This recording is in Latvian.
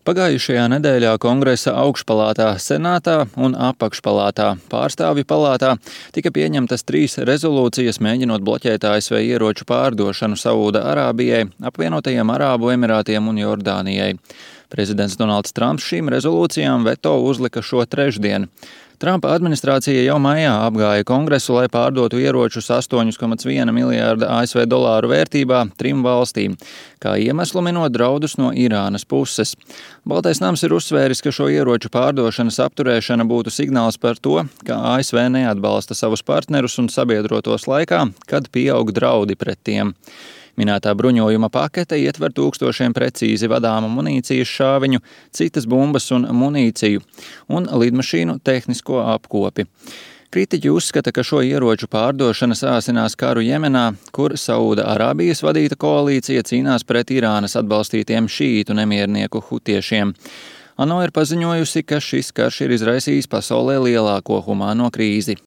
Pagājušajā nedēļā Kongresa augšpalātā, Senātā un apakšpalātā, Pārstāvju palātā tika pieņemtas 3 rezolūcijas, mēģinot bloķēt ASV ieroču pārdošanu Saūda-Arābijai, Apvienotajiem Arābu Emirātiem un Jordānijai. Prezidents Donalds Trumps šīm rezolūcijām veto uzlika šo trešdienu. Trumpa administrācija jau maijā apgāja Kongresu, lai pārdotu ieročus 8,1 miljārda ASV dolāru vērtībā 3 valstīm, kā iemeslu minot draudus no Irānas puses. Baltais nams ir uzsvēris, ka šo ieroču pārdošanas apturēšana būtu signāls par to, ka ASV neatbalsta savus partnerus un sabiedrotos laikā, kad pieaug draudi pret tiem. Minētā bruņojuma pakete ietver tūkstošiem precīzi vadāmu munīcijas šāviņu, citas bumbas un munīciju un lidmašīnu tehnisko apkopi. Kritiķi uzskata, ka šo ieroču pārdošana sāsinās karu Jemenā, kur Saūda-Arābijas vadīta koalīcija cīnās pret Irānas atbalstītiem šīītu nemiernieku hutiešiem. ANO ir paziņojusi, ka šis karš ir izraisījis pasaulē lielāko humāno krīzi